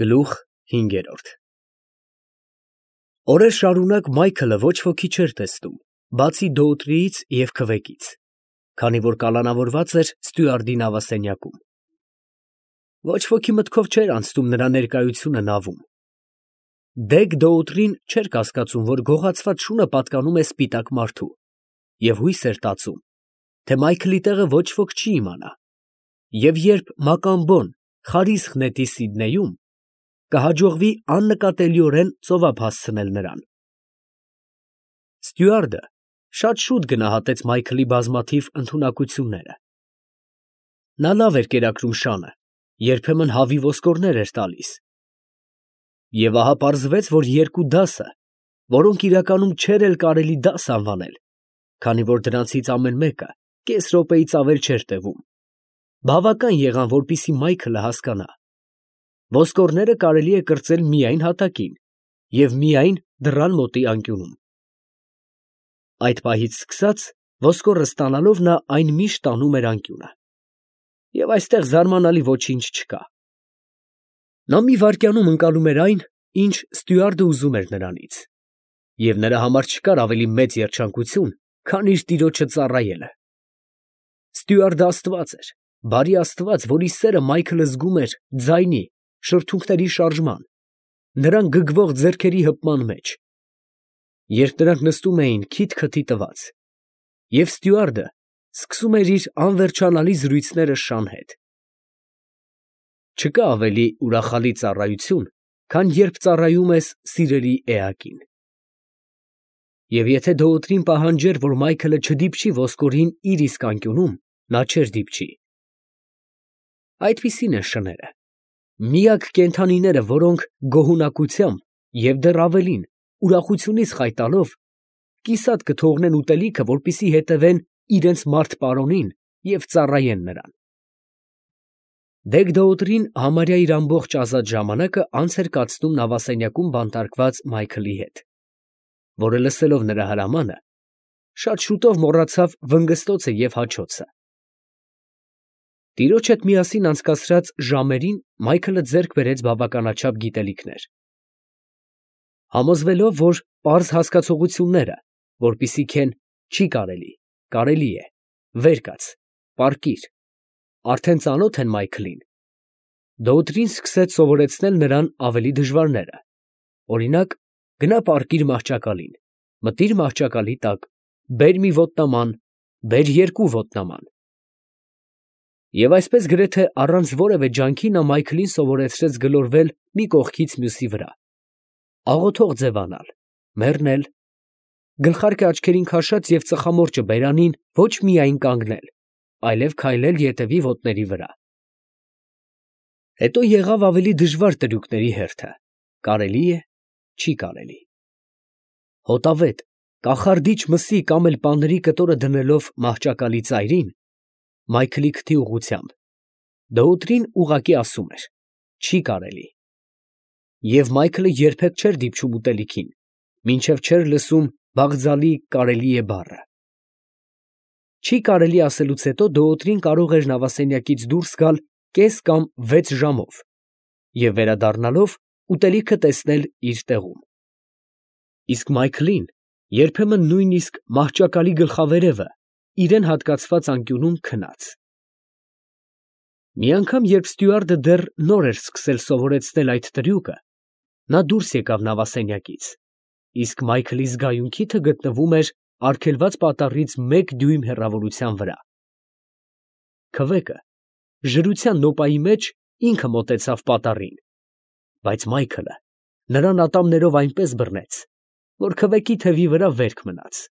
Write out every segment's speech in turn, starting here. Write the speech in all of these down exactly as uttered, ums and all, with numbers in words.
Գլուխ հինգերորդ Օրեր շարունակ Մայքլը ոչ ոքի չէր տեսնում, բացի Դոուտրիից և քվեկից, քանի որ կալանավորված էր ստյուարդի նավասենյակում. ոչ ոքի մտքով չէր անցնում նրա ներկայությունը նավում. դեգ Դոուտրին չէր կասկածում, որ գողացված շունը պատկանում է սպիտակ մարդու, և հույս էր տածում, թե Մայքլի տեղը ոչ ոք չի իմանա, և երբ Մակամբոն խարիսխ նետի Սիդնեյում, կհաջողվի աննկատելիորեն ծովափ հասցնել նրան։ Ստյուարդը շատ շուտ գնահատեց Մայքլի բազմաթիվ ընդունակությունները. նա լավ էր կերակրում շանը, երբեմն հավի ոսկորներ էր տալիս, և ահա պարզվեց, որ երկու դասը, որոնք իրականում չէր էլ կարելի դաս անվանել, քանի որ դրանցից ամեն մեկը կես րոպեից ավել չէր տևում, բավական եղան, որպեսզի Մայքլը հասկանա. ոսկորները կարելի է կրծել միայն հատակին և միայն դռան մոտի անկյունում։ Այդ պահից սկսած, ոսկորը ստանալով, նա այն միշտ տանում էր անկյունը, և այստեղ զարմանալի ոչինչ չկա. նա մի վայրկյանում ընկալում էր այն, ինչ ստյուարդը ուզում էր նրանից, և նրա համար չկար ավելի մեծ երջանկություն, քան իր տիրոջը ծառայելը։ Ստյուարդը աստված էր, բարի աստված, որի սերը Մայքլը զգում էր ձայնի, շրթունքների շարժման, նրան գգվող ձեռքերի հպման մեջ, երբ նրանք նստում էին քիթ֊քթի տված, և ստյուարդը սկսում էր իր անվերջանալի զրույցները շան հետ։ Չկա ավելի ուրախալի ծառայություն, քան երբ ծառայում ես սիրելի էակին։ Եվ եթե Դոուտրին պահանջեր, որ Մայքլը չդիպչի ոսկորին իր իսկ անկյունում, նա չէր դիպչի։ Այդպիսին են շները, միակ կենդանիները, որոնք գոհունակությամբ և դեռ ավելին, ուրախությունից խայտալով, կիսատ կթողնեն ուտելիքը, որպեսզի հետևեն իրենց մարդ֊պարոնին և ծառայեն նրան։ Դեգ Դոուտրին համարյա իր ամբողջ ազատ ժամանակը անց էր կացնում նավասենյակում բանտարկված Մայքլի հետ, որը, լսելով նրա հրամանը, շատ շուտով մոռացավ վնգստոցը և հաչոցը։ Տիրոջ հետ միասին անցկացրած ժամերին Մայքլը ձեռք բերեց բավականաչափ գիտելիքներ։ Համոզվելով, որ պարզ հասկացողությունները, որպիսիք են չի կարելի, կարելի է, վեր կաց, պառկիր, արդեն ծանոթ են Մայքլին, Դոուտրին սկսեց սովորեցնել նրան ավելի դժվարները, օրինակ, գնա պառկիր մահճակալին, մտիր մահճակալի տակ, բեր մի ոտնաման, բեր երկու ոտնաման։ Եվ այսպես գրեթե առանց որևէ ջանքի նա Մայքլին սովորեցրեց գլորվել մի կողքից մյուսի վրա, աղոթող ձևանալ, մեռնել, գլխարկը աչքերին քաշած և ծխամորճը բերանին ոչ միայն կանգնել, այլև քայլել ետևի ոտների վրա։ Հետո եղավ ավելի դժվար տրյուկների հերթը, կարելի է, չի կարելի։ Հոտավետ, կախարդիչ մսի կամ էլ պանրի կտորը դնելով մահճակալի ծայրին, Մայքլի քթի ուղղությամբ, Դոուտրին ուղղակի ասում էր. չի կարելի։ Եվ Մայքլը երբեք չէր դիպչում ուտելիքին, մինչև չէր լսում Բաղձալի կարելի է բառը։ Չի կարելի ասելուց հետո Դոուտրին կարող էր նավասենյակից դուրս գալ կես կամ վեց ժամով և վերադառնալով ուտելիքը տեսնել իր տեղում։ Իսկ Մայքլին երբեմն նույնիսկ մահճակալի գլխավերևը իրան հատկացված անկյունում քնած։ Մի անգամ, երբ ստյուարդը դեռ նոր էր սկսել սովորեցնել այդ տրյուկը, նա դուրս եկավ նավասենյակից, իսկ Մայքլի զգայուն քիթը գտնվում էր արգելված պատառից մեկ դյույմ հեռավորության վրա։ Քվեկը ժրության նոպայի մեջ ինքը մոտեցավ պատառին, բայց Մայքլը նրան ատամներով այնպես բռնեց, որ քվեկի թևի վրա վերք մնաց։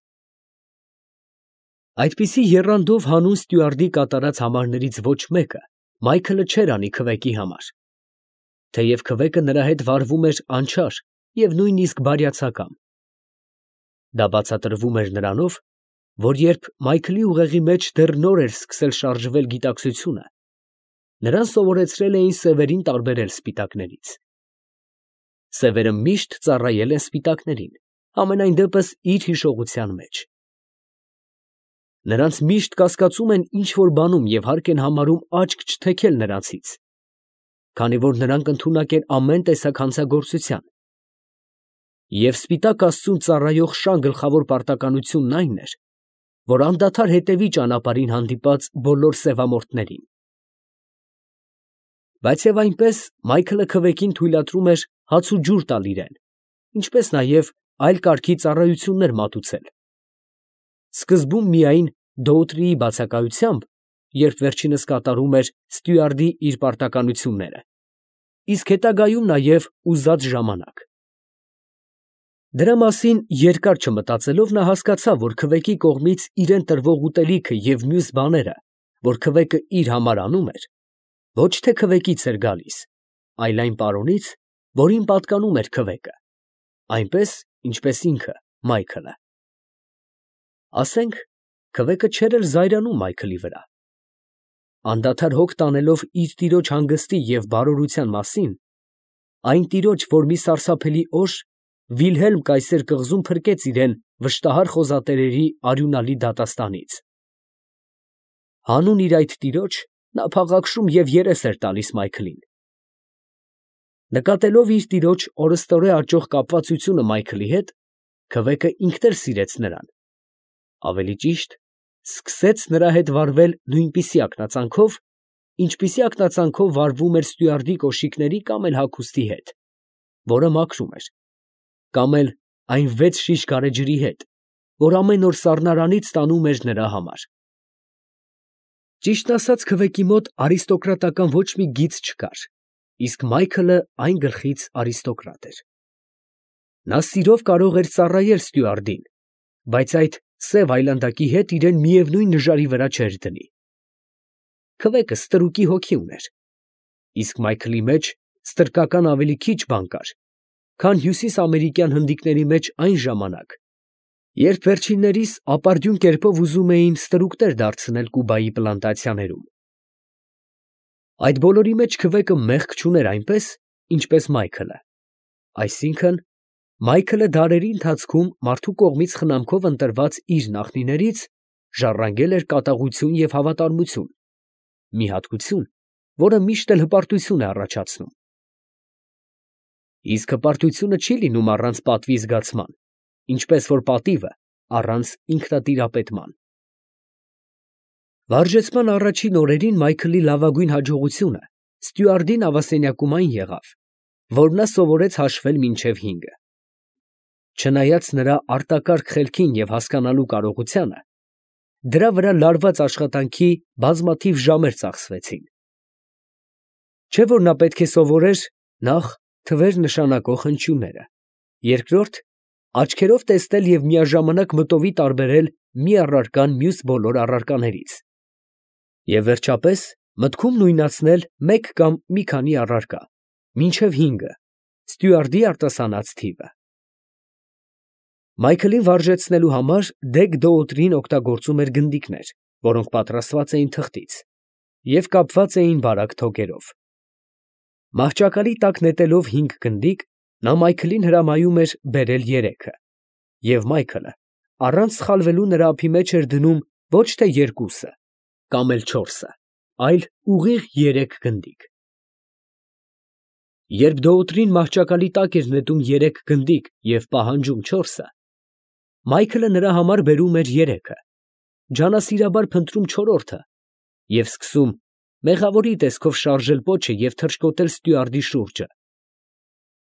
Այդպիսի եռանդով հանուն ստյուարդի կատարած համարներից ոչ մեկը Մայքլը չէր անի քվեկի համար, թեև քվեկը նրա հետ վարվում էր անչափ և նույնիսկ բարյացակամ։ Դա բացատրվում էր նրանով, որ երբ Մայքլի ուղեղի մեջ դեռ նոր էր սկսել շարժվել գիտակցությունը, նրան սովորեցրել էին սևերին տարբերել սպիտակներից։ Սևերը միշտ ծառայել են սպիտակներին, համենայն դեպս իր հիշողության մեջ։ Նրանց միշտ կասկածում են ինչ֊որ բանում և հարկ են համարում աչք չթեքել նրանցից։ քանի որ նրանք ընդունակ են ամեն տեսակ հանցագործության։ Եվ սպիտակ աստծուն ծառայող շան գլխավոր պարտականությունն այն էր, որ անդադար հետևի ճանապարհին հանդիպած բոլոր սևամորթներին։ Բայց և այնպես Մայքլը քվեկին թույլատրում էր հաց ու ջուր տալ իրան, ինչպես նաև այլ կարգի ծառայություններ մատուցել, սկզբում միայն Դոուտրիի բացակայությամբ, երբ վերջինս կատարում էր ստյուարդի իր պարտականությունները, իսկ հետագայում նաև ուզած ժամանակ։ Դրա մասին երկար չմտածելով նա հասկացավ, որ քվեկի կողմից իրան տրվող ուտելիքը և մյուս բաները, որ քվեկը իր համար անում էր, ոչ թե քվեկից էր գալիս, այլ այն պարոնից, որին պատկանում էր քվեկը, այնպես, ինչպես ինքը Մայքլը։ Ասենք, քվեկը չէր էլ զայրանում Մայքլի վրա։ Անդադար հոգ տանելով իր տիրոջ հանգստի և բարօրության մասին, այն տիրոջ, որ մի սարսափելի օր Վիլհելմ կայսեր կղզում փրկեց իրան վշտահար խոզատերերի արյունալի դատաստանից, հանուն իր այդ տիրոջ նա փաղաքշում և երես էր տալիս Մայքլին։ Նկատելով իր տիրոջ օրըստօրե աճող կապվածությունը Մայքլի հետ, քվեկը ինքն էլ սիրեց նրան, ավելի ճիշտ, սկսեց նրա հետ վարվել նույնպիսի ակնածանքով, ինչպիսի ակնածանքով վարվում էր ստյուարդի կոշիկների կամ էլ հագուստի հետ, որը մաքրում էր, կամ էլ այն վեց շիշ գարեջրի հետ, որ ամեն օր սառնարանից ստանում էր նրա համար։ Ճիշտն ասած, քվեկի մոտ արիստոկրատական ոչ մի գիծ չկար, իսկ Մայքլը այն գլխից արիստոկրատ էր։ Նա սիրով կարող էր ծառայել ստյուարդին, բայց այդ սև այլանդակի հետ իրան միևնույն նժարի վրա չէր դնի։ Քվեկը ստրուկի հոգի ուներ, իսկ Մայքլի մեջ ստրկական ավելի քիչ բան կար, քան հյուսիսամերիկյան հնդիկների մեջ այն ժամանակ, երբ վերջիններիս ապարդյուն կերպով ուզում էին ստրուկներ դարձնել Կուբայի պլանտացիաներում։ Այդ բոլորի մեջ քվեկը մեղք չուներ այնպես, ինչպես Մայքլը, այսինքն, Մայքլը դարերի ընթացքում մարդու կողմից խնամքով ընտրված իր նախնիներից ժառանգել էր կատաղություն և հավատարմություն, մի հատկություն, որը միշտ էլ հպարտություն է առաջացնում։ Իսկ հպարտությունը չի լինում առանց պատվի զգացման, ինչպես որ պատիվը առանց ինքնատիրապետման։ Վարժեցման առաջին օրերին Մայքլի լավագույն հաջողությունը ստյուարդի նավասենյակում այն եղավ, որ նա սովորեց հաշվել մինչև հինգը։ Չնայած նրա արտակարգ խելքին և հասկանալու կարողությանը, դրա վրա լարված աշխատանքի բազմաթիվ ժամեր ծախսվեցին։ Չէ՞ որ նա պետք է սովորեր նախ թվեր նշանակող հնչյունները, երկրորդ, աչքերով տեսնել և միաժամանակ մտովի տարբերել մի առարկան մյուս բոլոր առարկաներից, և վերջապես մտքում նույնացնել մեկ կամ մի քանի առարկա, մինչև հինգը, ստյուարդի արտասանած թիվը։ Մայքլին վարժեցնելու համար դեգ Դոուտրին օգտագործում էր գնդիկներ, որոնք պատրաստված էին թղթից և կապված էին բարակ թոկերով։ Մահճակալի տակ նետելով հինգ գնդիկ, նա Մայքլին հրամայում էր բերել երեքը, և Մայքլը առանց սխալվելու նրա ափի մեջ էր դնում ոչ թե երկուսը կամ էլ չորսը, այլ ուղիղ երեք գնդիկ։ Երբ Դոուտրին մահճակալի տակ էր նետում երեք գնդիկ և պահանջում չորսը, Մայքլը նրա համար բերում էր երեքը, ջանասիրաբար փնտրում չորրորդը և սկսում մեղավորի տեսքով շարժել պոչը և թռչկոտել ստյուարդի շուրջը,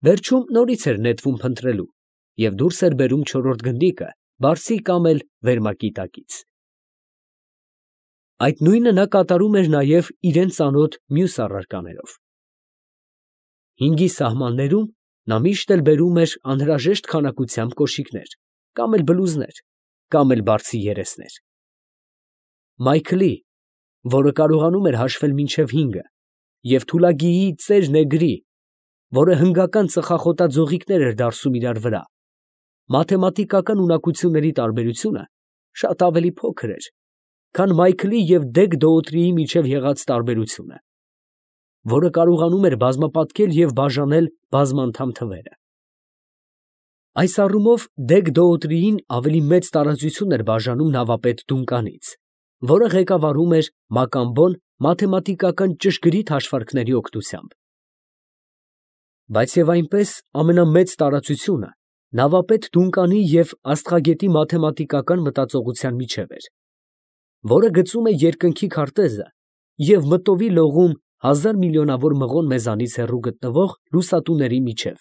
վերջում նորից էր նետվում փնտրելու և դուրս էր բերում չորրորդ գնդիկը բարձի կամ էլ վերմակի տակից։ Այդ նույնը նա կատարում էր նաև իրան ծանոթ մյուս առարկաներով։ Հինգի սահմաններում նա միշտ էլ բերում էր անհրաժեշտ քանակությամբ կոշիկներ, կամ էլ բլուզներ, կամ էլ բարձի երեսներ։ Մայքլի, որը կարողանում էր հաշվել մինչև հինգը, և Թուլագիի ծեր Նեգրի, որը հնգական ծխախոտաձողիկներ էր դարսում իրար վրա, մաթեմատիկական ունակությունների տարբերությունը շատ ավելի փոքր էր, քան Մայքլի և դեգ Դոուտրիի միջև եղած տարբերությունը, որը կարողանում էր բազմապատկել և բաժանել բազմանդամ թվերը։ Այս առումով դեգ Դոուտրիին ավելի մեծ տարածություն էր բաժանում նավապետ Դունկանից, որը ղեկավարում էր Մակամբոն մաթեմատիկական ճշգրիտ հաշվարկների օգնությամբ։ Բայց և այնպես ամենամեծ տարածությունը նավապետ Դունկանի և աստղագետի մաթեմատիկական մտածողության միջև էր, որը գծում է երկնքի քարտեզը և մտովի լողում հազար միլիոնավոր մղոն մեզանից հեռու գտնվող լուսատուների միջև.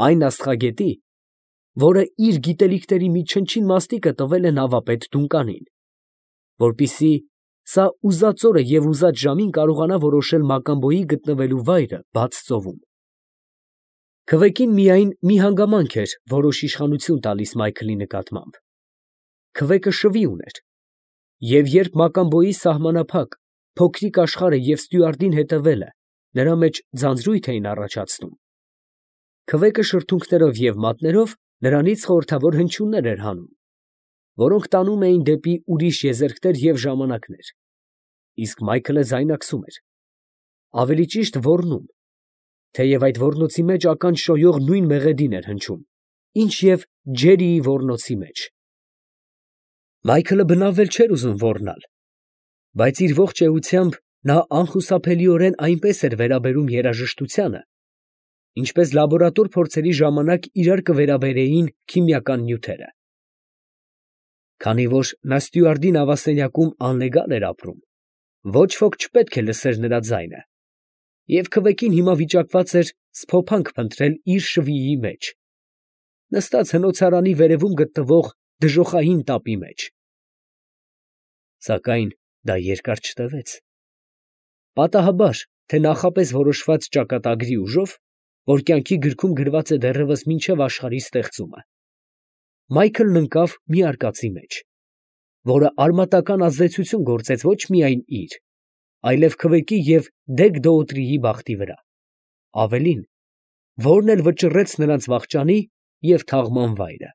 այն աստղագետի, որը իր գիտելիքների մի չնչին մասնիկը տվել է նավապետ Դունկանին, որպեսզի սա ուզած օրը և ուզած ժամին կարողանա որոշել մակամբոյի գտնվելու վայրը բաց ծովում։ Քվեկին միայն մի հանգամանք էր որոշ իշխանություն տալիս Մայքլի նկատմամբ. քվեկը շվի ուներ, և երբ մակամբոյի սահմանափակ, փոքրիկ աշխարհը և ստյուարդին հետևելը նրա մեջ ձանձրույթ էին առաջացնում, քվեկը շրթունքներով և մատներով նրանից խորհրդավոր հնչյուններ էր հանում, որոնք տանում էին դեպի ուրիշ եզերքներ և ժամանակներ, իսկ Մայքլը ձայնարկում էր, ավելի ճիշտ ոռնում, թեև այդ ոռնոցի մեջ ականջ շոյող նույն մեղեդին էր հնչում, ինչ և Ջերիի ոռնոցի մեջ։ Մայքլը բնավ էլ չէր ուզում ոռնալ, բայց իր ողջ էությամբ նա անխուսափելիորեն այնպես էր վերաբերում երաժշտությանը, ինչպես լաբորատոր փորձերի ժամանակ իրար կվերաբերեին քիմիական նյութերը։ Քանի որ նա ստյուարդի նավասենյակում անլեգալ էր ապրում, ոչ ոք չպետք է լսեր նրա ձայնը, և քվեկին հիմա վիճակված էր սփոփանք փնտրել իր շվիի մեջ, նստած հնոցարանի վերևում գտնվող դժոխային տապի մեջ։ Սակայն դա երկար չտևեց. պատահաբար, թե նախապես որոշված ճակատագրի ուժով, որ կյանքի գրքում գրված է դեռևս մինչև աշխարհի ստեղծումը, Մայքլն ընկավ մի արկածի մեջ, որը արմատական ազդեցություն գործեց ոչ միայն իր, այլև քվեկի և Դեգ֊Դոոտրիի բախտի վրա, ավելին, որն էլ վճռեց նրանց վախճանի և թաղման վայրը։